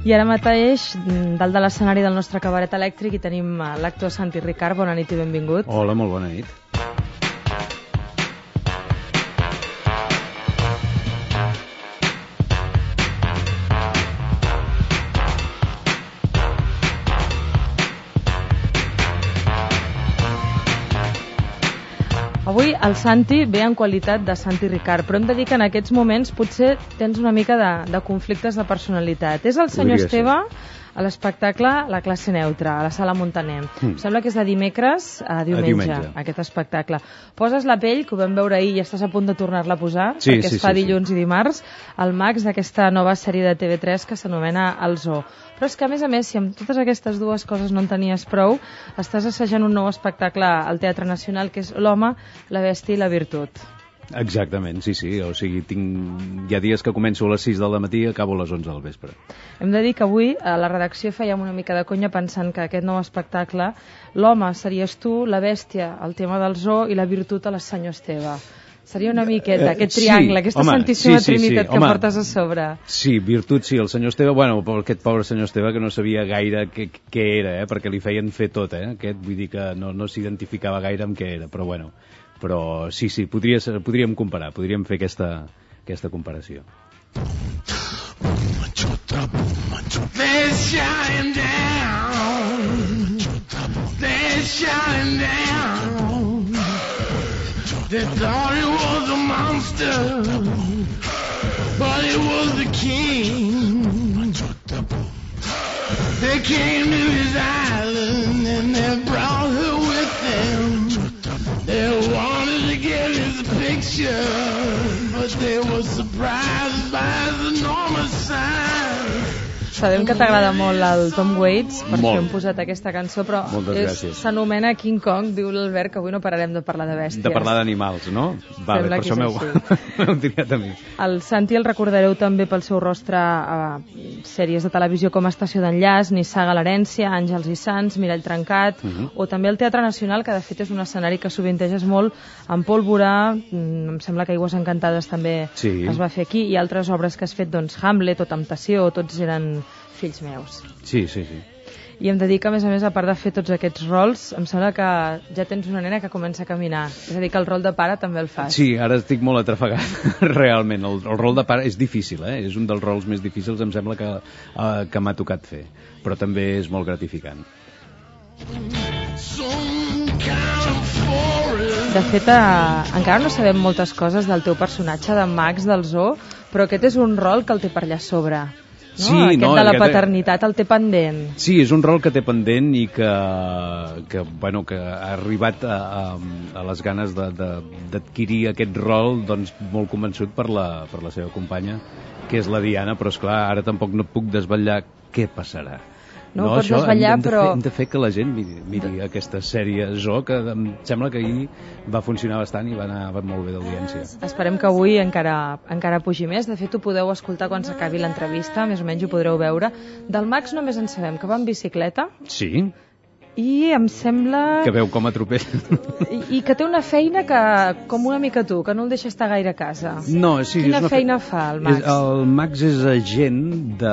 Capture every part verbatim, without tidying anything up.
I ara mateix, dalt de l'escenari del nostre cabaret elèctric, hi tenim l'actor Santi Ricard. Bona nit i benvingut. Hola, molt bona nit. Avui el Santi ve en qualitat de Santi Ricard, però hem de dir que en aquests moments potser tens una mica de, de conflictes de personalitat. És el senyor Podria Esteve ser. a l'espectacle La classe neutra, a la sala Montaner. Mm. Em sembla que és de dimecres a diumenge, A diumenge. aquest espectacle. Poses la pell, que ho vam veure ahir i estàs a punt de tornar-la a posar, Sí, perquè sí, es fa sí, dilluns sí. i dimarts, al Max d'aquesta nova sèrie de T V tres que s'anomena El Zoo. Però és que, a més a més, si amb totes aquestes dues coses no en tenies prou, estàs assajant un nou espectacle al Teatre Nacional, que és L'home, la bèstia i la virtut. Exactament, sí, sí. O sigui, tinc... hi ha dies que començo a les sis del matí i acabo a les onze del vespre. Hem de dir que avui a la redacció fèiem una mica de conya pensant que aquest nou espectacle, l'home series tu, la bèstia, el tema del zoo, i la virtut a la senyor Esteve. Seria una miqueta, aquest triangle, sí, aquesta home, santíssima sí, sí, trinitat sí, que home. portes a sobre. Sí, virtut sí, el senyor Esteve, bueno, aquest pobre senyor Esteve que no sabia gaire què, què era, eh, perquè li feien fer tot, eh, aquest, vull dir que no, no s'identificava gaire amb què era, però bueno, però sí, sí, podria ser, podríem comparar, podríem fer aquesta, aquesta comparació. They're shutting down. They're shutting down. They thought it was a monster, but it was the king. They came to his island and they brought her with them. They wanted to get his picture, but they were surprised by his enormous size. Sabem que t'agrada molt el Tom Waits, per Molt. això hem posat aquesta cançó, però Moltes és- gràcies. s'anomena King Kong, diu l'Albert, que avui no pararem de parlar de bèsties. De parlar d'animals, no? Vale, Sembla per que això és m'heu així. m'heu triat a mi. El Santi el recordareu també pel seu rostre a sèries de televisió com Estació d'enllaç, Nissaga l'herència, Àngels i Sants, Mirall trencat, Mhm. o també el Teatre Nacional, que de fet és un escenari que sovinteges molt amb Pólvora, mm, em sembla que Aigües Encantades també Sí. es va fer aquí, i altres obres que has fet, doncs Hamlet o Temptació, tots eren fills meus. Sí, sí, sí. I hem de dir que, a més a més, a part de fer tots aquests rols, em sembla que ja tens una nena que comença a caminar. És a dir, que el rol de pare també el fas. Sí, ara estic molt atrafegat, realment. El, el rol de pare és difícil, eh? És un dels rols més difícils, em sembla, que, uh, que m'ha tocat fer. Però també és molt gratificant. De fet, eh, encara no sabem moltes coses del teu personatge de Max del Zoo, però aquest és un rol que el té per allà a sobre. No? Sí, aquest no, de la aquest- paternitat el té pendent. Sí, és un rol que té pendent i que, que, bueno, que ha arribat a, a, a les ganes de- de- d'adquirir aquest rol, doncs, molt convençut per la, per la seva companya, que és la Diana, però esclar, ara tampoc no puc desvetllar què passarà. No ho pots desvetllar, hem, hem de però- Fer, hem de fer que la gent miri, miri aquesta sèrie Zoo, que em sembla que ahir va funcionar bastant i va anar va molt bé d'audiència. Esperem que avui encara, encara pugi més. De fet, ho podeu escoltar quan s'acabi l'entrevista, més o menys ho podreu veure. Del Max només en sabem que va en bicicleta Sí, i em sembla... que veu com atropella. I, i que té una feina que, com una mica tu, que no el deixa estar gaire a casa. No, sí, Quina és una feina fe... fa el Max? És, el Max és agent de,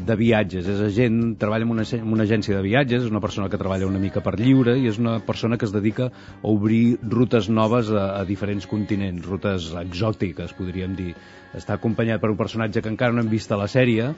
de viatges, és agent, treballa en una, en una agència de viatges, és una persona que treballa una mica per lliure i és una persona que es dedica a obrir rutes noves a, a diferents continents, rutes exòtiques, podríem dir. Està acompanyat per un personatge que encara no hem vist a la sèrie,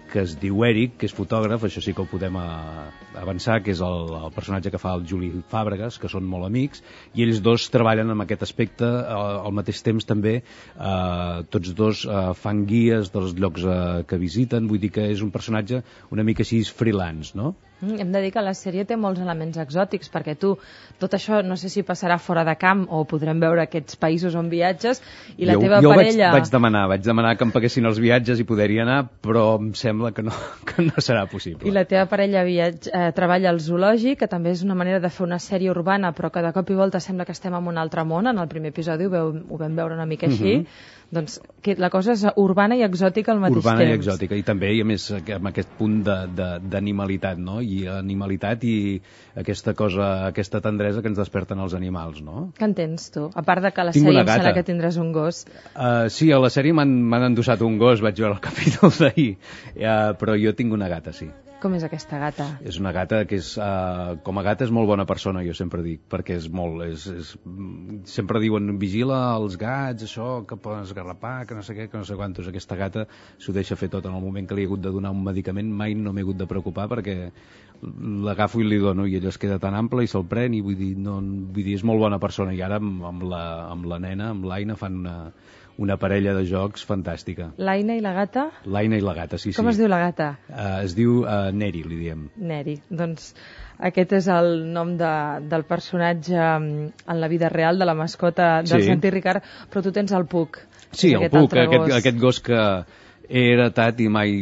que es diu Eric, que és fotògraf, això sí que ho podem a, avançar, que és el, el personatge que fa el Juli Fàbregas, que són molt amics, i ells dos treballen en aquest aspecte, al, al mateix temps també eh, tots dos eh, fan guies dels llocs eh, que visiten, vull dir que és un personatge una mica així freelance, no? Mm, hem de dir que la sèrie té molts elements exòtics, perquè tu, tot això no sé si passarà fora de camp o podrem veure aquests països on viatges, i la jo, teva jo parella... vaig, vaig demanar, vaig demanar que em paguessin els viatges i poder-hi anar, però em sembla que no, que no serà possible. I la teva parella viatge, eh, treballa al zoològic, que també és una manera de fer una sèrie urbana, però que de cop i volta sembla que estem en un altre món. En el primer episodi ho, veu, ho vam veure una mica així. Mhm. doncs, que la cosa és urbana i exòtica al mateix urbana temps. Urbana i exòtica, i també, i a més, amb aquest punt d'animalitat, no? I animalitat i aquesta cosa, aquesta tendresa que ens desperten els animals, no? Què en tens, tu? A part de que a la Tinc sèrie una em sembla gata. que tindràs un gos. Uh, sí, a la sèrie m'han endossat un gos, vaig veure el capítol d'ahir, uh, però jo tinc una gata, sí. Com és aquesta gata? És una gata que és, uh, com a gata és molt bona persona, jo sempre dic, perquè és molt, és, és, sempre diuen, vigila els gats, això, que poden esgarrapar, que no sé què, que no sé quantos. Aquesta gata s'ho deixa fer tot. En el moment que li he hagut de donar un medicament mai no m'he hagut de preocupar perquè l'agafo i li dono i ella es queda tan ample i se'l pren i vull dir, no, vull dir, és molt bona persona. I ara amb, amb, la, amb la nena, amb l'Aina, fan una, una parella de jocs fantàstica. L'Aina i la gata? L'Aina i la gata, sí, Com sí. es diu la gata? Uh, es diu uh, Neri, li diem. Neri. Doncs aquest és el nom de, del personatge en la vida real, de la mascota del Sí. Santi Ricard, però tu tens el Puc. Sí, el aquest Puc, altre aquest, gos. aquest gos que he heretat i mai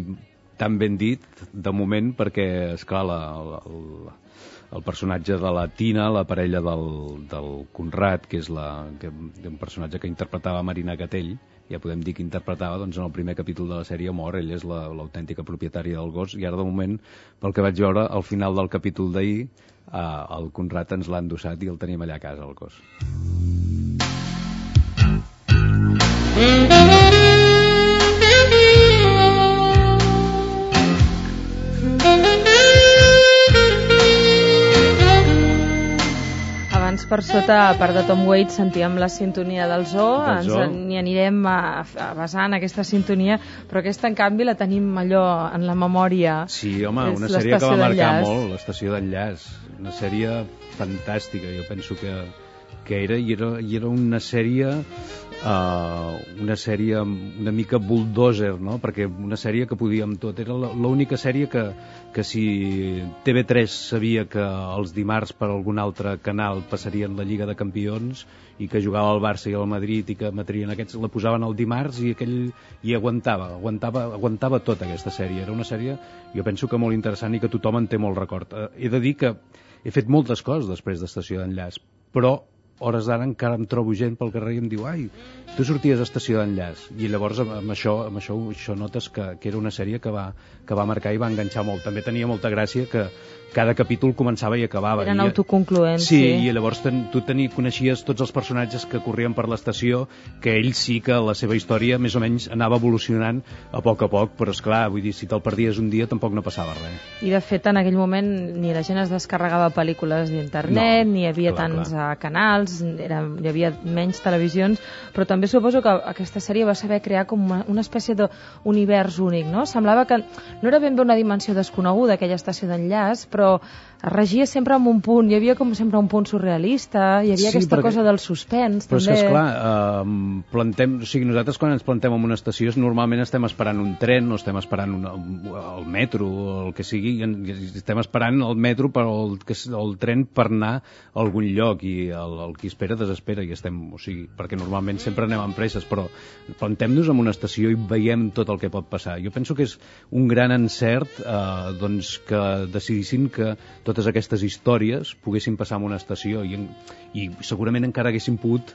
tan ben dit, de moment, perquè, esclar, la, la, la, el personatge de la Tina, la parella del, del Conrad, que és la, que, un personatge que interpretava Marina Gatell, ja podem dir que interpretava, doncs en el primer capítol de la sèrie mor, ell és l'autèntica la, propietària del gos, i ara de moment, pel que vaig veure, al final del capítol d'ahir, eh, el Conrad ens l'ha endossat i el tenim allà a casa, el gos. Abans per sota, a part de Tom Waits, sentíem la sintonia del Zoo, Del ens Zoo. n'hi anirem a, a basar en aquesta sintonia, però aquesta, en canvi, la tenim allò en la memòria. Sí, home, És una sèrie que l'Estació va marcar d'Enllaç. molt, l'Estació d'Enllaç. Una sèrie fantàstica, jo penso que, que era, i era, i era una sèrie, uh, una sèrie una mica bulldozer, no? Perquè una sèrie que podíem tot. Era l'única sèrie que, que si T V tres sabia que els dimarts per algun altre canal passarien la Lliga de Campions i que jugava al Barça i al Madrid i que matrien aquests, la posaven el dimarts i aquell i aguantava, aguantava, aguantava tota aquesta sèrie. Era una sèrie, jo penso que molt interessant i que tothom en té molt record. Eh, he de dir que he fet moltes coses després d'Estació d'Enllaç, però hores d'ara encara em trobo gent pel carrer i em diu ai, tu sorties d'Estació d'Enllaç, i llavors amb, amb, això, amb això, això notes que, que era una sèrie que va, que va marcar i va enganxar molt. També tenia molta gràcia que cada capítol començava i acabava. Eren I, autoconcloents. sí, sí, i llavors ten, tu teni, coneixies tots els personatges que corrien per l'estació, que ells sí que la seva història més o menys anava evolucionant a poc a poc, però esclar, vull dir, si te'l perdies un dia tampoc no passava res. I de fet en aquell moment ni la gent es descarregava pel·lícules d'internet, No, ni hi havia clar, tants clar. uh, canals, era, hi havia menys televisions, però també suposo que aquesta sèrie va saber crear com una, una espècie d'univers únic, no? Semblava que no era ben bé una dimensió desconeguda aquella estació d'enllaç, però es regia sempre amb un punt, hi havia com sempre un punt surrealista, hi havia Sí, aquesta perquè- cosa del suspens, Però és també. que, esclar, eh, plantem, o sigui, nosaltres quan ens plantem en una estació normalment estem esperant un tren o estem esperant una, el metro o el que sigui, i en- i estem esperant el metro per el, que- el tren per anar a algun lloc i el, el qui espera desespera i estem, o sigui, perquè normalment sempre anem amb presses, però plantem-nos en una estació i veiem tot el que pot passar. Jo penso que és un gran encert eh, doncs que decidissin que totes aquestes històries poguessin passar en una estació i, i segurament encara haguessin pogut,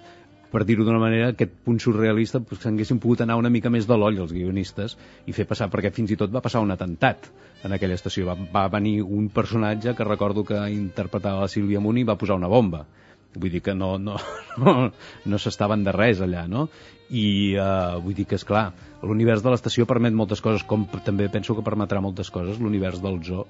per dir-ho d'una manera, aquest punt surrealista, pues, s'haguessin pogut anar una mica més de l'oll els guionistes i fer passar, perquè fins i tot va passar un atemptat en aquella estació. Va, va venir un personatge que recordo que interpretava la Sílvia Muni i va posar una bomba. Vull dir que no, no, no, no s'estaven de res allà, no? I uh, vull dir que, és clar, l'univers de l'estació permet moltes coses, com també penso que permetrà moltes coses l'univers del zoo,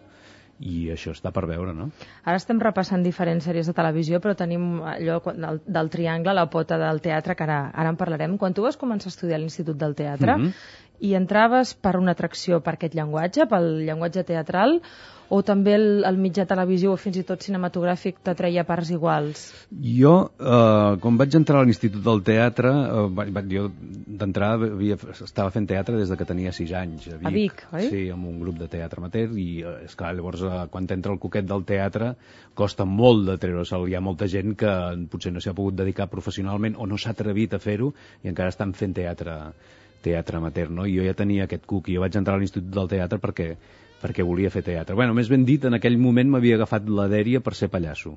i això està per veure, no? Ara estem repassant diferents sèries de televisió, però tenim allò del, del triangle, la pota del teatre, que ara, ara en parlarem. Quan tu vas començar a estudiar a l'Institut del Teatre, Mhm. i entraves per una atracció per aquest llenguatge, pel llenguatge teatral, o també el, el mitjà televisió o fins i tot cinematogràfic t'atreia parts iguals? Jo, eh, quan vaig entrar a l'Institut del Teatre, eh, va, va, jo d'entrada havia, estava fent teatre des de que tenia sis anys. A Vic, A Vic, oi? Sí, amb un grup de teatre amateur, i eh, esclar, llavors eh, quan t'entra el coquet del teatre costa molt de treure-se'l. Hi ha molta gent que potser no s'hi ha pogut dedicar professionalment o no s'ha atrevit a fer-ho i encara estan fent teatre, teatre amateur, no? I jo ja tenia aquest cuc i jo vaig entrar a l'Institut del Teatre perquè perquè volia fer teatre. Bueno, més ben dit, en aquell moment m'havia agafat la dèria per ser pallasso.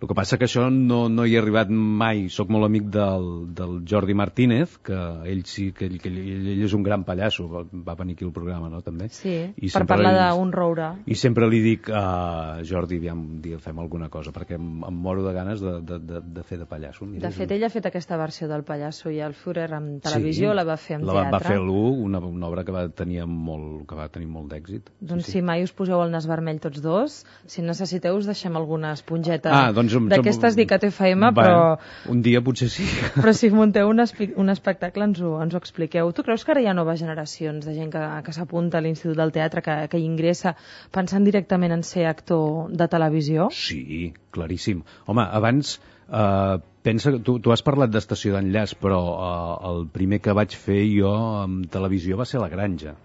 El que passa que això no, no hi he arribat mai. Soc molt amic del, del Jordi Martínez, que ell sí, que ell, que ell, ell és un gran pallasso, va, va venir aquí al programa, no, també? Sí, I per parlar li, d'un roure. I sempre li dic a uh, Jordi, aviam, un dia fem alguna cosa, perquè em, em moro de ganes de, de, de, de fer de pallasso. Mira, de fet, ell ha fet aquesta versió del pallasso i el Führer en televisió, sí, la va fer en la teatre. Va fer l'U, una, una obra que va tenir molt, que va tenir molt d'èxit. Doncs sí, sí, si mai us poseu el nas vermell tots dos, si necessiteu us deixem alguna esponjeta ah, doncs, d'aquestes dic a T F M, però... Un dia potser sí. Però si munteu un, un espectacle ens ho, ens ho expliqueu. Tu creus que ara hi ha noves generacions de gent que, que s'apunta a l'Institut del Teatre, que, que hi ingressa pensant directament en ser actor de televisió? Sí, claríssim. Home, abans... Uh, pensa que tu, tu has parlat d'estació d'enllaç, però uh, el primer que vaig fer jo en televisió va ser La Granja.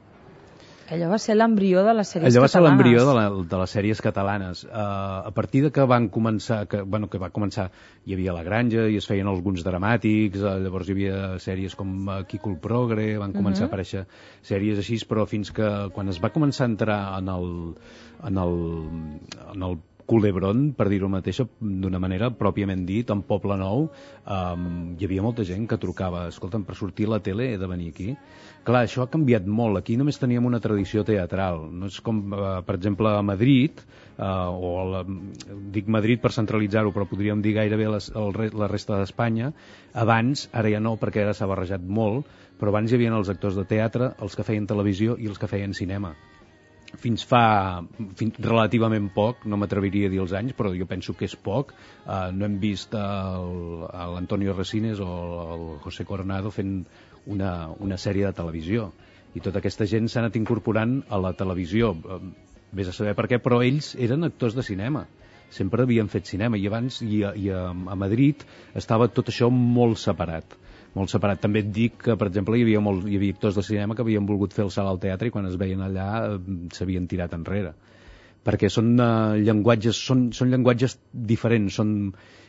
Allò va ser l'embrió de les sèries catalanes. Allò va ser l'embrió de, la, de les sèries catalanes. Uh, a partir de que van començar, que, bueno, que va començar, hi havia La Granja i es feien alguns dramàtics, uh, llavors hi havia sèries com uh, Quico el Progre, van començar uh -huh. a aparèixer sèries així, però fins que quan es va començar a entrar en el, en el, en el Culebron, per dir-ho mateix, d'una manera pròpiament dit, en Poble Nou, um, hi havia molta gent que trucava, escolta'm, per sortir a la tele he de venir aquí. Clar, això ha canviat molt. Aquí només teníem una tradició teatral. No és com, uh, per exemple, a Madrid, uh, o a la, dic Madrid per centralitzar-ho, però podríem dir gairebé les, el, la resta d'Espanya. Abans, ara ja no, perquè ara s'ha barrejat molt, però abans hi havia els actors de teatre, els que feien televisió i els que feien cinema. Fins fa fins relativament poc, no m'atreviria a dir els anys, però jo penso que és poc, uh, no hem vist l'Antonio Resines o el José Coronado fent una, una sèrie de televisió, i tota aquesta gent s'ha anat incorporant a la televisió, uh, vés a saber per què, però ells eren actors de cinema, sempre havien fet cinema, i abans i a, i a, a Madrid estava tot això molt separat. Molt separat. També et dic que, per exemple, hi havia, molt, hi havia actors de cinema que havien volgut fer el salt al teatre i quan es veien allà eh, s'havien tirat enrere. Perquè són uh, llenguatges, són, són llenguatges diferents, són,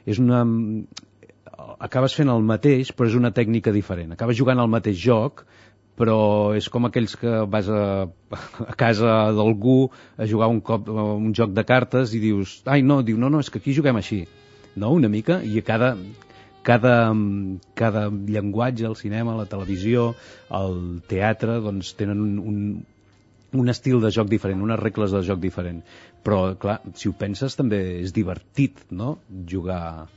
és una... acabes fent el mateix, però és una tècnica diferent. Acabes jugant al mateix joc, però és com aquells que vas a, a casa d'algú a jugar un cop un joc de cartes i dius, ai no, diu, no, no, és que aquí juguem així. No, una mica, i a cada... Cada, cada llenguatge, el cinema, la televisió, el teatre, doncs tenen un, un, un estil de joc diferent, unes regles de joc diferent. Però, clar, si ho penses, també és divertit, no?, jugar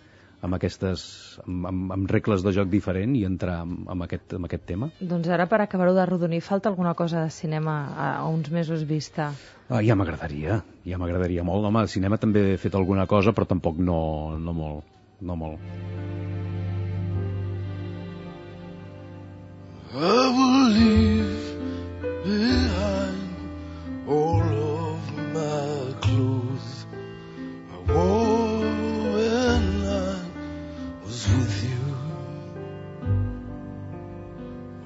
amb aquestes, amb, amb, amb regles de joc diferent i entrar amb, amb, aquest, amb aquest tema. Doncs ara, per acabar-ho de rodonir, falta alguna cosa de cinema a, a uns mesos vista? Ah, ja m'agradaria, ja m'agradaria molt. Home, el cinema també he fet alguna cosa, però tampoc no, no molt, no molt. I will leave behind all of my clothes I wore when I was with you.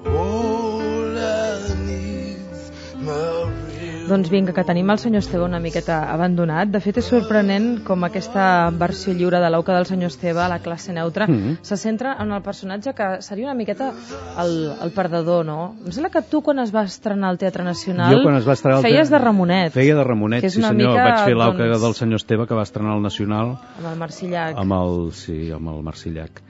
All I need's my Doncs vinga, que tenim el senyor Esteve una miqueta abandonat. De fet, és sorprenent com aquesta versió lliure de l'auca del senyor Esteve, a la classe neutra, mm-hmm. se centra en el personatge que seria una miqueta el, el perdedor, no? Em sembla que tu, quan es va estrenar al Teatre Nacional, jo, quan es va estrenar feies de Ramonet. Feia de Ramonet, sí senyor. Mica, vaig fer l'auca doncs, del senyor Esteve, que va estrenar al Nacional. Amb el Marcillac. Amb el, sí, amb el Marcillac.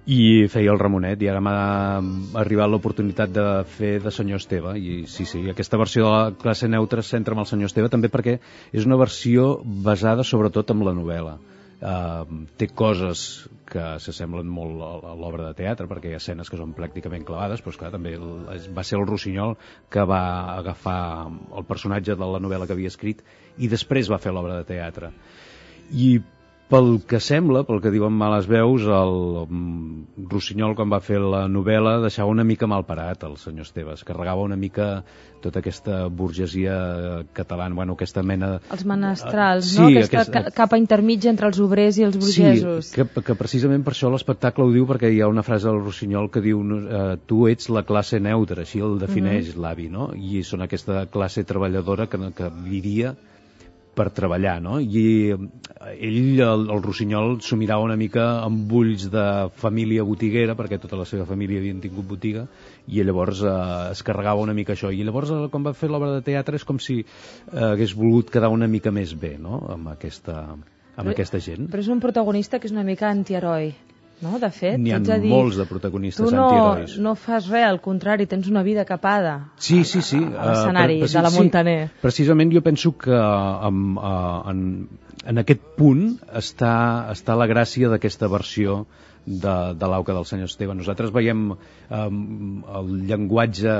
I feia el Ramonet, i ara m'ha arribat l'oportunitat de fer de senyor Esteve, i sí, sí, aquesta versió de la classe neutra es centra en el senyor Esteve, també perquè és una versió basada sobretot en la novel·la. Uh, té coses que s'assemblen molt a l'obra de teatre, perquè hi ha escenes que són pràcticament clavades, però esclar, també va ser el Rossinyol que va agafar el personatge de la novel·la que havia escrit i després va fer l'obra de teatre. I pel que sembla, pel que diuen males veus, el Rossinyol, quan va fer la novel·la, deixava una mica mal parat el senyor Esteve. Es carregava una mica tota aquesta burgesia catalana, bueno, aquesta mena... Els menestrals, sí, no? Aquesta aquest... capa intermitja entre els obrers i els burgesos. Sí, que, que precisament per això l'espectacle ho diu, perquè hi ha una frase del Rossinyol que diu eh, tu ets la classe neutra, així el defineix uh-huh. l'avi, no? I són aquesta classe treballadora que, que vivia per treballar, no? I ell, el, el Rossinyol, s'ho mirava una mica amb ulls de família botiguera, perquè tota la seva família havien tingut botiga, i llavors eh, es carregava una mica això. I llavors, quan va fer l'obra de teatre, és com si eh, hagués volgut quedar una mica més bé, no?, amb aquesta, amb però, aquesta gent. Però és un protagonista que és una mica antiheroi, no? De fet, n'hi ha dir, molts de protagonistes tu no, antiherois. no fas res, al contrari, tens una vida capada sí, sí, sí. a l'escenari uh, de la Montaner. Sí, precisament jo penso que um, uh, en, en aquest punt està, està la gràcia d'aquesta versió de, de l'Auca del senyor Esteve. Nosaltres veiem um, el llenguatge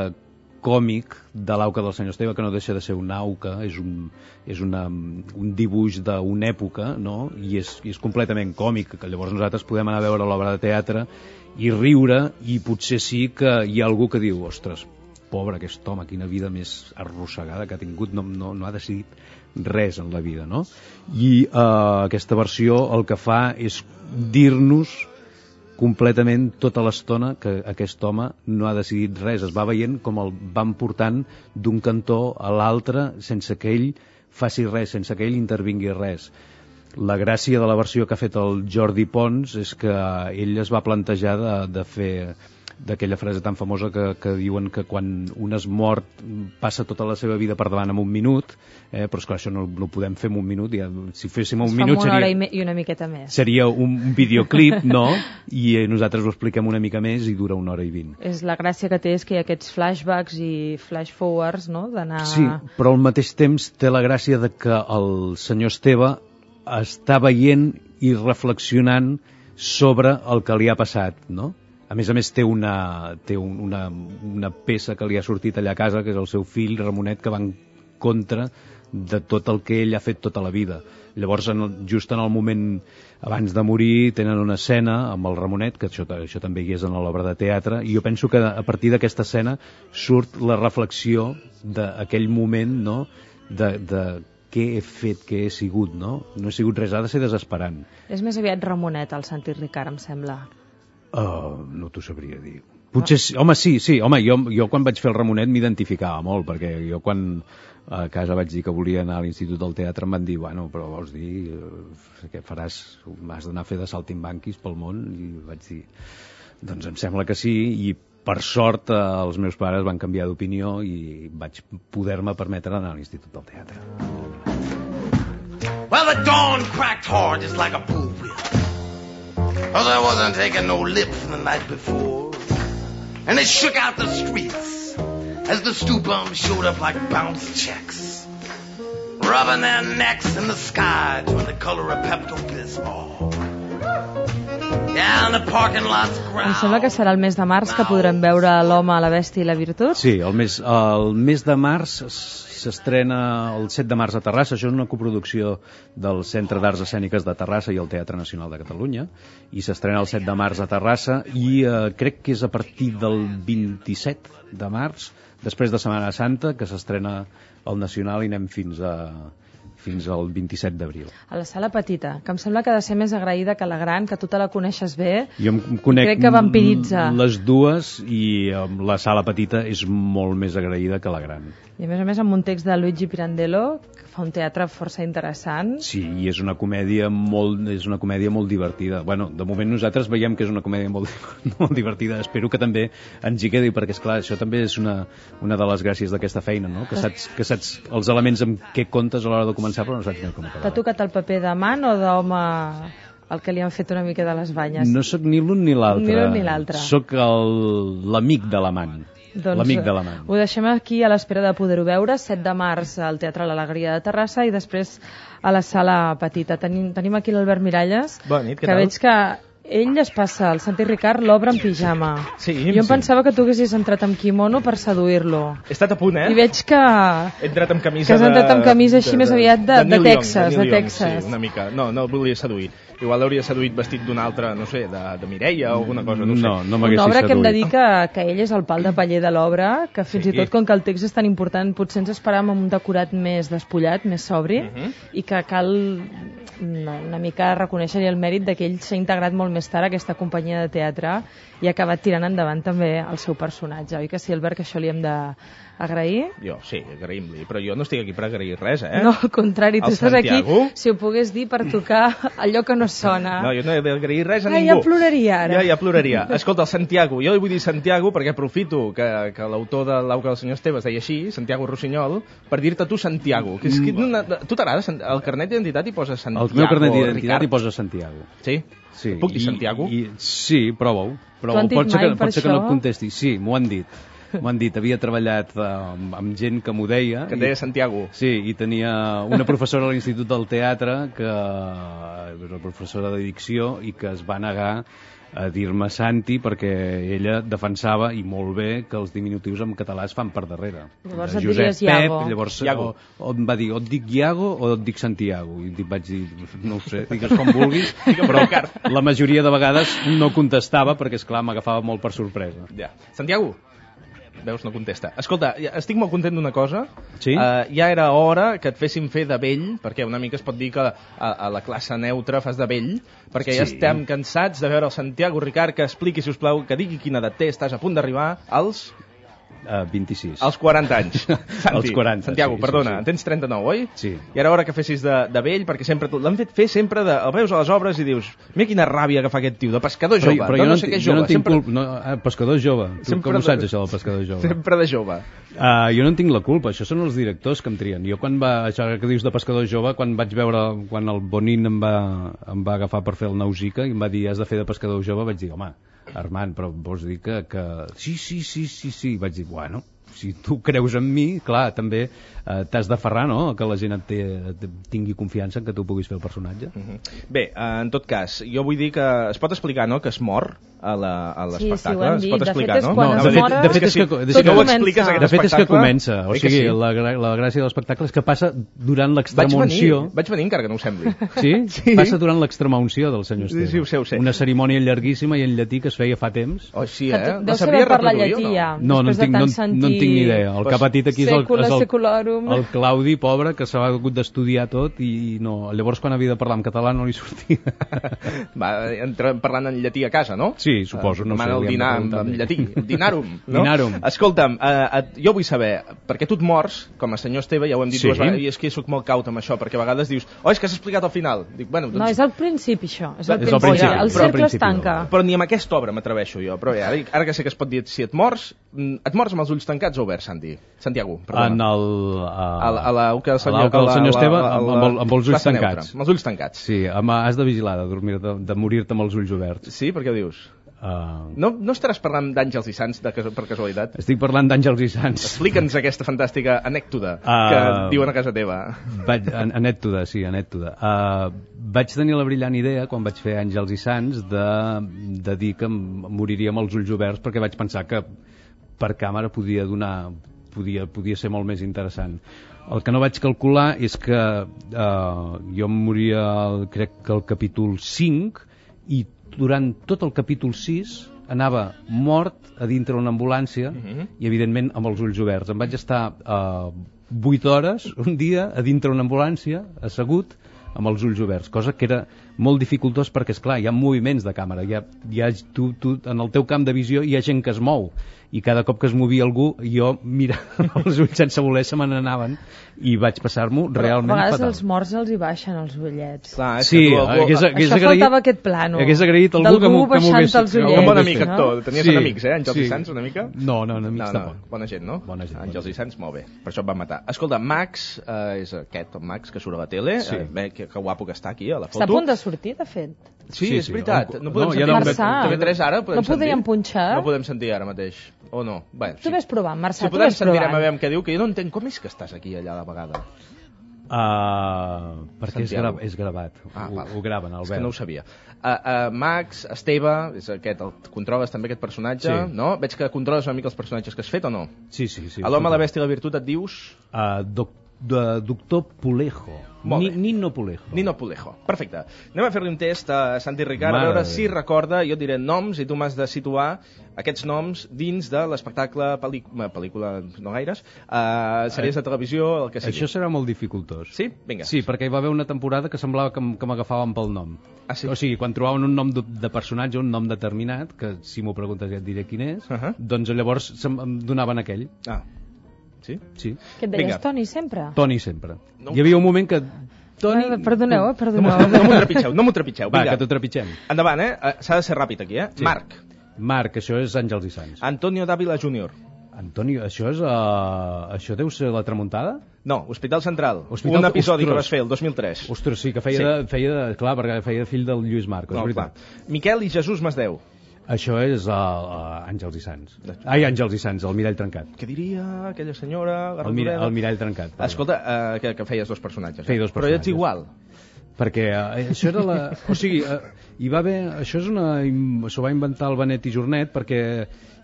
còmic de l'Auca del senyor Esteve, que no deixa de ser una auca, és un, és una, un dibuix d'una època, no? I, és, i és completament còmic, que llavors nosaltres podem anar a veure l'obra de teatre i riure, i potser sí que hi ha algú que diu, ostres, pobre aquest home, quina vida més arrossegada que ha tingut, no, no, no ha decidit res en la vida, no? I eh, aquesta versió el que fa és dir-nos completament tota l'estona que aquest home no ha decidit res. Es va veient com el van portant d'un cantó a l'altre sense que ell faci res, sense que ell intervingui res. La gràcia de la versió que ha fet el Jordi Pons és que ell es va plantejar de, de fer d'aquella frase tan famosa que, que diuen que quan un es mort passa tota la seva vida per davant en un minut, eh, però és clar, això no, no ho podem fer en un minut, ja, si féssim un minut una seria, hora i, me, i una miqueta més. Seria un, un videoclip, no? I eh, nosaltres ho expliquem una mica més i dura una hora i vint. És la gràcia que té és que hi ha aquests flashbacks i flash forwards, no? D'anar... Sí, però al mateix temps té la gràcia de que el senyor Esteve està veient i reflexionant sobre el que li ha passat, no? A més a més té, una, té un, una, una peça que li ha sortit allà a casa, que és el seu fill, Ramonet, que va en contra de tot el que ell ha fet tota la vida. Llavors, en el, just en el moment abans de morir, tenen una escena amb el Ramonet, que això, això també hi és en l'obra de teatre, i jo penso que a partir d'aquesta escena surt la reflexió d'aquell moment, no?, de, de què he fet, què he sigut, no? No he sigut res, ha de ser desesperant. És més aviat Ramonet, el Santi Ricard, em sembla. Uh, no t'ho sabria dir. Potser sí, home, sí, sí, home, jo, jo quan vaig fer el Ramonet m'identificava molt, perquè jo quan a casa vaig dir que volia anar a l'Institut del Teatre em van dir, bueno, però vols dir eh, què faràs, m'has d'anar a fer de saltimbanquis pel món? I vaig dir, doncs em sembla que sí, i per sort eh, els meus pares van canviar d'opinió i vaig poder-me permetre anar a l'Institut del Teatre. Well, the dawn cracked hard just like a pool wheel. Cause I wasn't taking no lips the night before. And they shook out the streets as the stew bums showed up like bounce checks, rubbing their necks in the sky to the color of Pepto-Bismol. Down the parking lots ground. Em sembla que serà el mes de març que podrem veure l'Home, la Bèstia i la Virtut. Sí, el mes, el mes de març s'estrena el set de març a Terrassa. Això és una coproducció del Centre d'Arts Escèniques de Terrassa i el Teatre Nacional de Catalunya, i s'estrena el set de març a Terrassa, i eh, crec que és a partir del vint-i-set de març, després de Setmana Santa, que s'estrena al Nacional i anem fins a fins al vint-i-set d'abril. A la sala petita, que em sembla que ha de ser més agraïda que la gran, que tu te la coneixes bé. Jo em conec crec que vampiritza. Les dues, i la sala petita és molt més agraïda que la gran. I a més a més amb un text de Luigi Pirandello, que fa un teatre força interessant. Sí, i és una comèdia molt, és una comèdia molt divertida. Bueno, de moment nosaltres veiem que és una comèdia molt, molt divertida. Espero que també ens hi quedi, perquè esclar, això també és una, una de les gràcies d'aquesta feina, no? Que saps, que saps els elements amb què comptes a l'hora de començar, però no saps ni com acabar. T'ha tocat el paper d'amant o d'home el que li han fet una mica de les banyes? No sóc ni l'un ni l'altre. Ni l'un ni l'altre. Sóc l'amic de l'amant. Doncs l'amic de l'amant. Ho deixem aquí a l'espera de poder-ho veure, set de març al Teatre l'Alegria de Terrassa i després a la sala petita. Tenim, tenim aquí l'Albert Miralles, Bona nit, què que tal? veig que ell es passa, el Santi Ricard l'obre en pijama. Sí, jo em sí. pensava que tu haguessis entrat amb quimono per seduir-lo. He estat a punt, eh? I veig que... He entrat amb camisa que has entrat amb camisa de, així de, més aviat de, de, de, de Texas. de, de Texas. Sí, una mica. No, no el volia seduir. Igual l'hauria seduït vestit d'una altra, no sé, de, de Mireia o alguna cosa, no ho sé. No, no Una m'haguessis obra que hem de seduït. dir que, que ell és el pal de paller de l'obra, que fins Sí. i tot com que el text és tan important, potser ens esperàvem un decorat més despullat, més sobri, Uh -huh. i que cal una, una mica reconèixer-hi el mèrit de que ell s'ha integrat molt més tard a aquesta companyia de teatre i ha acabat tirant endavant també el seu personatge. Oi que sí, Albert, que això li hem d'agrair? Jo, sí, agraïm-li, però jo no estic aquí per agrair res, eh? No, al contrari, tu El estàs Santiago? aquí, si ho pogués dir, per tocar allò que no sona. No, jo no he d'agrair res a Ai, ningú. ja ploraria ara. Ja, ja ploraria. Escolta, el Santiago, jo li vull dir Santiago perquè aprofito que, que l'autor de l'Auca del senyor Esteve es deia així, Santiago Rossinyol, per dir-te tu Santiago. Que és que una, tu t'agrada? El carnet d'identitat hi posa Santiago. El meu carnet d'identitat Ricard. hi posa Santiago. Sí? Sí. Puc dir I, Santiago? I, sí, prova-ho. T'ho han dit Pot ser mai que, per pot ser que no això? et contesti. Sí, m'ho han dit. M'ho han dit. Havia treballat eh, amb, amb gent que m'ho deia. Que et deia Santiago. Sí, i tenia una professora a l'Institut del Teatre que era professora de dicció i que es va negar a dir-me Santi perquè ella defensava, i molt bé, que els diminutius en català es fan per darrere. Llavors De et Josep diries Iago. Pep, llavors Iago. O, o em va dir, o et dic Iago o et dic Santiago, i vaig dir, no ho sé, digues com vulguis, però la majoria de vegades no contestava perquè, esclar, m'agafava molt per sorpresa. Ja. Santiago? Veus, no contesta. Escolta, ja estic molt content d'una cosa. Sí? Uh, ja era hora que et fessin fer de vell, perquè una mica es pot dir que a, a la classe neutra fas de vell, perquè ja Sí. estem cansats de veure el Santiago Ricard que expliqui, si us plau, que digui quina edat té, estàs a punt d'arribar als... Uh, vint-i-sis. als quaranta anys. Santi, Als quaranta, Santiago, sí, perdona, sí, sí. en tens trenta-nou, oi? Sí. I era hora que fessis de, de vell, perquè sempre l'han fet fer sempre de... El veus a les obres i dius, mira quina ràbia que fa aquest tio, de pescador jove, però de jo no, no, sé en què tinc- és jo jove, no en tinc sempre, culpa. No, eh, pescador jove. Tu Sempre com ho de- saps, això del pescador jove? sempre de jove. Uh, jo no en tinc la culpa, això són els directors que em trien. Jo quan va, això que dius de pescador jove, quan vaig veure, quan el Bonin em va, em va agafar per fer el Nausica i em va dir, has de fer de pescador jove, vaig dir, home, Armand, però vols dir que, que... Sí, sí, sí, sí, sí, vaig dir, bueno, si tu creus en mi, clar, també eh, t'has d'aferrar, no?, que la gent et, té, et tingui confiança en que tu puguis fer el personatge. Uh -huh. Bé, eh, en tot cas, jo vull dir que es pot explicar, no?, que es mor a la- a Sí, sí, l'espectacle. ho hem es dit. pot De explicar, fet, és no? quan No, es de fet- mor... de fet és si, que- de si fet no ho comença. expliques, aquest De fet és que espectacle, comença, o eh que sigui, sí? la, gra- la gràcia de l'espectacle és que passa durant Vaig l'extremunció. venir, vaig venir encara que no ho sembli. Sí? Sí. Passa durant l'extremunció del senyor Sí, Esteve. sí, ho sé, ho sé. Una cerimònia llarguíssima i en llatí que es feia fa temps. Oh, sí, Que eh? tu- La deu sabria saber parlar reproduir o llatí, ja. No, no en, Després de tinc, no, tant en- sentir no en tinc ni idea. El Pues, que ha patit aquí és el, Secula és el, secularum. el Claudi, pobre, que s'ha hagut d'estudiar tot i no, llavors quan havia de parlar en català no li sortia. Va, entrem parlant en llatí a casa, no? Sí, suposo, no sé, Demana el li hem de dinar preguntar en, en a ell. llatí. Dinarum, no? Dinarum. Escolta'm, eh, eh, jo vull saber, perquè tu et mors, com a senyor Esteve, ja ho hem dit Sí. dues vegades, i és que sóc molt caut amb això, perquè a vegades dius, oh, és que has explicat al final. Dic, bueno, No, doncs... és al principi, això. És al És al principi. principi, El però al cercle es principi tanca. no. Però ni amb aquesta obra m'atreveixo jo. Però bé, ara, ara que sé que es pot dir, si et mors, mm, et mors amb els ulls tancats o oberts, Santi? Santiago, perdona. En el... A, A la- a l'auca del senyor, a l'auca del a la- senyor Esteve, a la- a amb, la amb, el- amb els ulls plaça tancats. neutra, amb els ulls tancats. Sí, amb, has de vigilar, de, dormir, de, de morir-te amb els ulls oberts. Sí, per què ho dius? Uh, No, no estaràs parlant d'àngels i sants de, cas- per casualitat? estic parlant d'àngels i sants. Explica'ns aquesta fantàstica anècdota Ah. que diuen a casa teva. Vaig, an anècdota, sí, anècdota. Uh, vaig tenir la brillant idea, quan vaig fer Àngels i Sants, de, de dir que em moriria amb els ulls oberts, perquè vaig pensar que per càmera podia donar podia, podia ser molt més interessant. El que no vaig calcular és que uh, jo em moria, el, crec que el capítol cinc, i durant tot el capítol sis anava mort a dintre una ambulància Mhm. i evidentment amb els ulls oberts. Em vaig estar uh, vuit hores un dia a dintre una ambulància assegut amb els ulls oberts, cosa que era molt dificultós perquè, és clar, hi ha moviments de càmera, hi ha, hi ha, tu, tu, en el teu camp de visió hi ha gent que es mou, i cada cop que es movia algú, jo, mira, els ulls sense voler se me n'anaven, i vaig passar-m'ho realment A vegades fatal. els morts els hi baixen els ullets. Clar, és Sí, que tu, algú- hagués, hagués Això agraït, faltava aquest plano. hagués agraït algú D'algú que m'ho que m'ho baixant-te hagués... els que m'ho ullets, Un bon hagués amic fet. no? actor. Tenies Sí, enemics, eh? Àngels sí. i Sants, una mica? No, no, enemics No, no, tampoc. bona gent, no? Bona gent, Àngels bona i Sants, molt bé. Per això et van matar. Escolta, Max, eh, és aquest, el Max, que surt a la tele. Sí. Eh, bé, que, que guapo que està aquí, a la foto. Està a punt de sortir, de fet. Sí, Sí, és sí. veritat. No, No podem no, ja sentir. no em Marçà. T V tres ara podem No podríem sentir? punxar? No podem sentir ara mateix. O no? Bé, Tu ves provant, Marçà, Si tu podem ves sentirem provant. a veure què diu, que jo no entenc com és que estàs aquí allà a la vegada. Uh, perquè és, Santiago. gra és gravat, Ah, ho, val. ho graven, el És que no ho sabia. Uh, uh, Max, Esteve, és aquest, el, controles també aquest personatge, Sí. no? Veig que controles una mica els personatges que has fet o no? Sí, sí, sí. A l'home, la bèstia i la virtut et dius... Uh, doc, de, doctor Pulejo. Molt Ni, bé. Nino Pulejo. Nino Pulejo. Perfecte. Anem a fer-li un test a Santi Ricard, a Mare veure de si Déu. recorda, jo et diré noms i tu m'has de situar aquests noms dins de l'espectacle, pel·lícula, pel·lícula no gaires, uh, sèries de televisió, el que sigui. Això serà molt dificultós. Sí? Vinga. Sí, perquè hi va haver una temporada que semblava que, m- que m'agafaven pel nom. Ah, sí? O sigui, quan trobaven un nom de, de personatge, un nom determinat, que si m'ho preguntes ja et diré quin és, Uh -huh. doncs llavors se'm, em donaven aquell. Ah, sí? Sí. Què et deies, Vinga. Toni, sempre? Toni sempre. No. Hi havia un moment que Toni... Ah, perdoneu, eh, No perdoneu. m'ho no m'ho trepitgeu, no m'ho trepitgeu. Va, Vinga, que t'ho trepitgem. endavant, eh? Eh, S'ha de ser ràpid aquí, eh? Sí. Marc, Marc, això és Àngels i Sants. Antonio Dávila júnior Antonio, això és... Uh, això deu ser la tramuntada? No, Hospital Central. Hospital- Un episodi que Ostres. vas fer el dos mil tres. Ostres, sí, que feia, Sí. De, feia de... Clar, perquè feia de fill del Lluís Marcos, No, és clar. veritat. Miquel i Jesús Masdeu. Això és uh, uh, Àngels i Sants. Ai, Àngels i Sants, el mirall trencat. Què diria aquella senyora? El, mira, el mirall trencat. perdó. Escolta, uh, que, que feies dos personatges. Feia dos Però ets personatges. igual. Perquè uh, això era la... O sigui, uh, hi va haver... Això és una... S'ho va inventar el Benet i Jornet perquè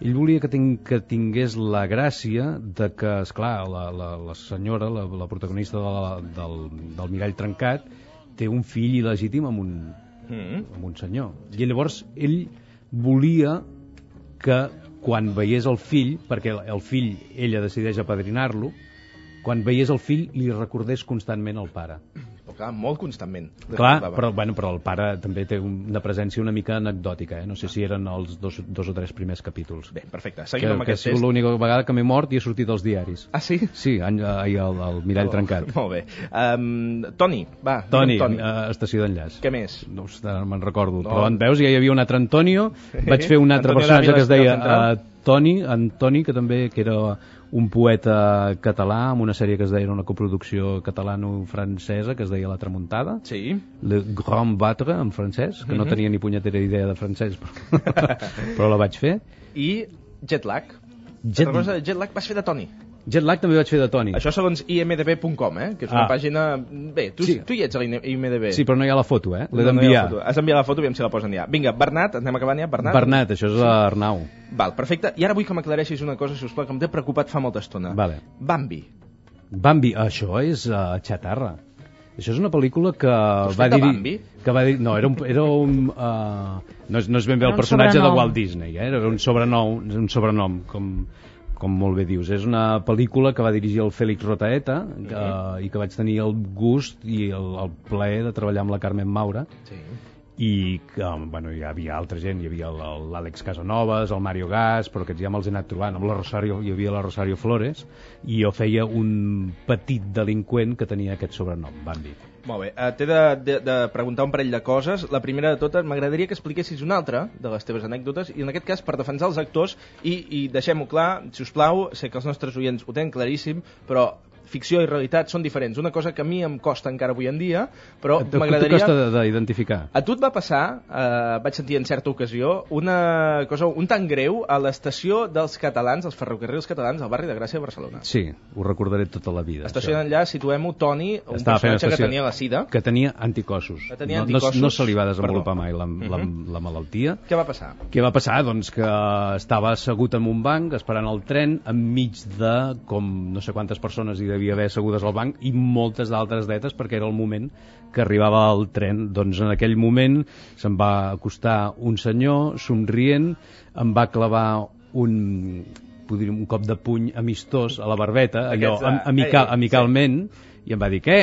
ell volia que, ting... que tingués la gràcia de que, esclar, la, la, la senyora, la, la protagonista de la, del, del mirall trencat, té un fill il·legítim amb un, Mm. amb un senyor. I llavors ell volia que quan veiés el fill, perquè el, el fill, ella decideix apadrinar-lo, quan veiés el fill li recordés constantment el pare. Però clar, molt constantment. Clar, Va, va. però, bueno, però el pare també té una presència una mica anecdòtica, eh? No sé si eren els dos, dos o tres primers capítols. Bé, perfecte. Que, Seguim amb que ha aquest sigut test. l'única vegada que m'he mort i he sortit als diaris. Ah, sí? Sí, any, ahir el, el mirall trencat. Molt bé. Um, Toni, va. Toni, digue'm Toni. Uh, estació d'enllaç. Què més? No sé, no me'n recordo, No. però en veus, ja hi havia un altre Antonio, vaig fer un altre Antonio personatge Dávila, que es deia Central. uh, Toni, Antoni, que també que era un poeta català amb una sèrie que es deia, una coproducció catalano-francesa que es deia La Tramuntada, Sí. Le Grand Batre en francès, que no Mhm. tenia ni punyetera idea de francès, però, però la vaig fer. I Jetlag. Jet- Jet... Cosa, Jetlag vas fer de Toni. Jetlag també vaig fer de Toni. Això segons i m d b punt com, eh? Que és una Ah. pàgina... Bé, tu, Sí. tu hi ets a l'I M D B. Sí, però no hi ha la foto, eh? L'he No, no hi ha d'enviar. la foto. Has d'enviar la foto, aviam si la posen ja. Vinga, Bernat, anem acabant ja. Bernat. Bernat, això és l'Arnau. Val, perfecte. I ara vull que m'aclareixis una cosa, si us plau, que em té preocupat fa molta estona. Vale. Bambi. Bambi, això és uh, xatarra. Això és una pel·lícula que has va fet de dir... Bambi? Que va dir... No, era un... Era un uh, no, és, no és ben bé Era el un personatge de sobrenom. Walt Disney, eh? Era un sobrenom, un sobrenom com, com molt bé dius. És una pel·lícula que va dirigir el Félix Rotaeta que, uh, i que vaig tenir el gust i el, el plaer de treballar amb la Carmen Maura. Sí. I que, bueno, hi havia altra gent, hi havia el- l'Àlex Casanovas, el Mario Gas, però aquests ja me'ls he anat trobant, amb la Rosario, hi havia la Rosario Flores, i jo feia un petit delinqüent que tenia aquest sobrenom, Bambi. Molt bé, uh, t'he de, de, de preguntar un parell de coses. La primera de totes, m'agradaria que expliquessis una altra de les teves anècdotes, i en aquest cas per defensar els actors, i, i deixem-ho clar, si us plau, sé que els nostres oients ho tenen claríssim, però ficció i realitat són diferents. Una cosa que a mi em costa encara avui en dia, però Et- m'agradaria... T'ho costa de- d'identificar. A tu et va passar, eh, vaig sentir en certa ocasió, una cosa un tan greu a l'estació dels catalans, els ferrocarrils catalans, al barri de Gràcia de Barcelona. Sí, ho recordaré tota la vida. Estació això. d'enllaç, situem-ho, Toni, un Estava fent personatge que estació- tenia la sida. Que tenia anticossos. Que tenia no, no, anticossos. no se li va desenvolupar Perdó. mai la, la, Mhm. la malaltia. Què va passar? Què va passar? Doncs que estava assegut en un banc esperant el tren enmig de com no sé quantes persones hi devia haver assegudes al banc i moltes d'altres dretes perquè era el moment que arribava el tren. Doncs en aquell moment se'm va acostar un senyor somrient, em va clavar un, podríem, un cop de puny amistós a la barbeta, allò Aquests, am, eh, amical, eh, amicalment, i em va dir, què?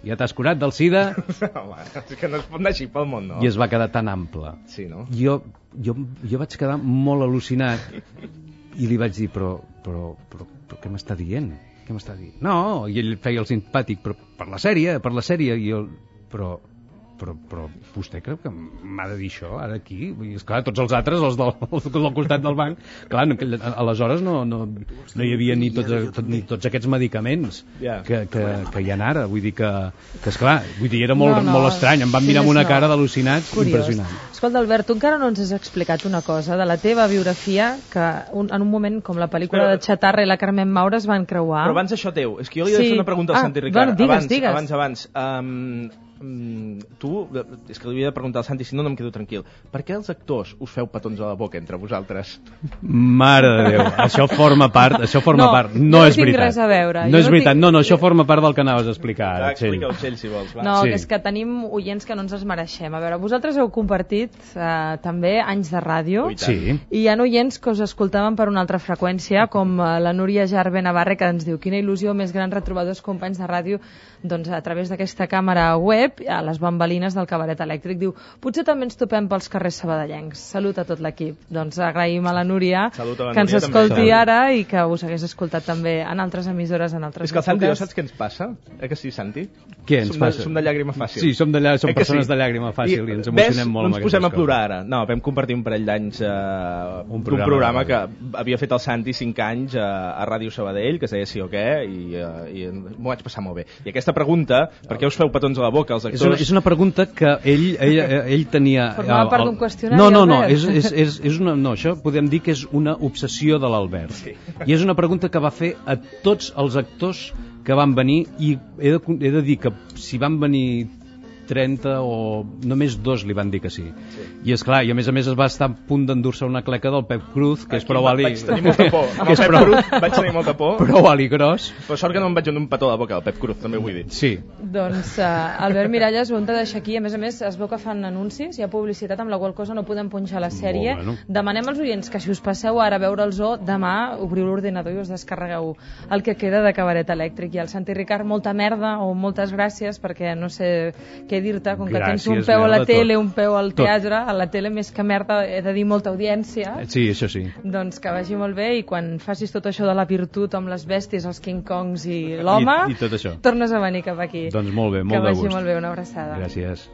Ja t'has curat del sida? Home, és que no es pot anar així pel món, no? I es va quedar tan ample. Sí, no? Jo, jo, jo vaig quedar molt al·lucinat i li vaig dir, però, però, però, però què m'està dient? Què m'està dient? No, i ell feia el simpàtic, però per la sèrie, per la sèrie, i jo, però, però, però vostè creu que m'ha de dir això ara aquí? Vull dir, esclar, tots els altres, els del, els del costat del banc, clar, no, que, aleshores no, no, no hi havia ni tots, tot, ni tots aquests medicaments Ja. que, que, que hi ha ara, vull dir que, que esclar, vull dir, era molt, No, no, molt estrany, em van sí, mirar amb més una no. cara d'al·lucinat Curiós. impressionant. Escolta, Albert, tu encara no ens has explicat una cosa de la teva biografia, que un, en un moment com la pel·lícula Però- de Chatarra i la Carmen Maura es van creuar. Però abans això teu, és que jo li he de Sí. fer una pregunta al Ah, Santi Ricard. bueno, digues, abans, digues. abans, abans. Um, um, tu, és que li havia de preguntar al Santi, si no, no em quedo tranquil. Per què els actors us feu petons a la boca entre vosaltres? Mare de Déu, això forma part, això forma No, part, jo no no és tinc veritat. res a veure, No jo és no veritat, tinc- no, no, això forma part del que anaves a explicar ara, Va, Txell. explica-ho, Txell, si vols. Va. No, Sí. que és que tenim oients que no ens els mereixem. A veure, vosaltres heu compartit eh, també anys de ràdio, Ui, tant. Sí, i hi ha oients que us escoltaven per una altra freqüència, com eh, la Núria Jarbe Navarre, que ens diu quina il·lusió més gran retrobar dos companys de ràdio doncs, a través d'aquesta càmera web. web, a les bambalines del Cabaret Elèctric. Diu, potser també ens topem pels carrers sabadellencs. Salut a tot l'equip. Doncs agraïm a la Núria Salut a la que ens Núria, escolti també. ara i que us hagués escoltat també en altres emissores, en altres És que el Santi, èpoques. saps què ens passa? Eh que sí, Santi? Què ens som passa? De, som de llàgrima fàcil. Sí, som, de llà... som Eh que persones sí? de llàgrima fàcil i, i ens ves, emocionem molt no amb ens posem a aquestes plorar ara. No, vam compartir un parell d'anys eh, Un d'un programa programa de que havia fet el Santi cinc anys a, a Ràdio Sabadell, que es deia Sí o què, i, uh, i m'ho vaig passar molt bé. I aquesta pregunta, per què us feu petons a la boca, els És actors? una, és una pregunta que ell, ell, ell tenia... Formava part d'un qüestionari, No, no, no, Albert. és, és, és, és una, no, això podem dir que és una obsessió de l'Albert. Sí. I és una pregunta que va fer a tots els actors que van venir, i he de, he de dir que si van venir trenta o només dos li van dir que sí. sí. I és clar, i a més a més es va estar a punt d'endur-se una cleca del Pep Cruz, que és Aquí prou va- ali... Vaig tenir molta por. Amb que el és Pep prou, Cruz vaig tenir molta por. prou ali gros. Però sort que no em vaig donar un petó a la boca del Pep Cruz, també vull dir. Sí. Doncs uh, Albert Miralles ho hem de deixar aquí. A més a més es veu que fan anuncis, hi ha publicitat, amb la qual cosa no podem punxar la sèrie. Molt bueno. Demanem als oients que si us passeu ara a veure el zoo, demà obriu l'ordinador i us descarregueu el que queda de Cabaret Elèctric. I al Santi Ricard, molta merda o moltes gràcies, perquè no sé què dir-te, com que Gràcies, tens un peu a la merda, tele, tot. un peu al Tot. teatre, a la tele més que merda he de dir molta audiència. Sí, això sí. Doncs que vagi molt bé, i quan facis tot això de la virtut amb les bèsties, els King Kongs i l'home, I, I tot això. tornes a venir cap aquí. Doncs molt bé, molt que de vagi gust. molt bé, una abraçada. Gràcies.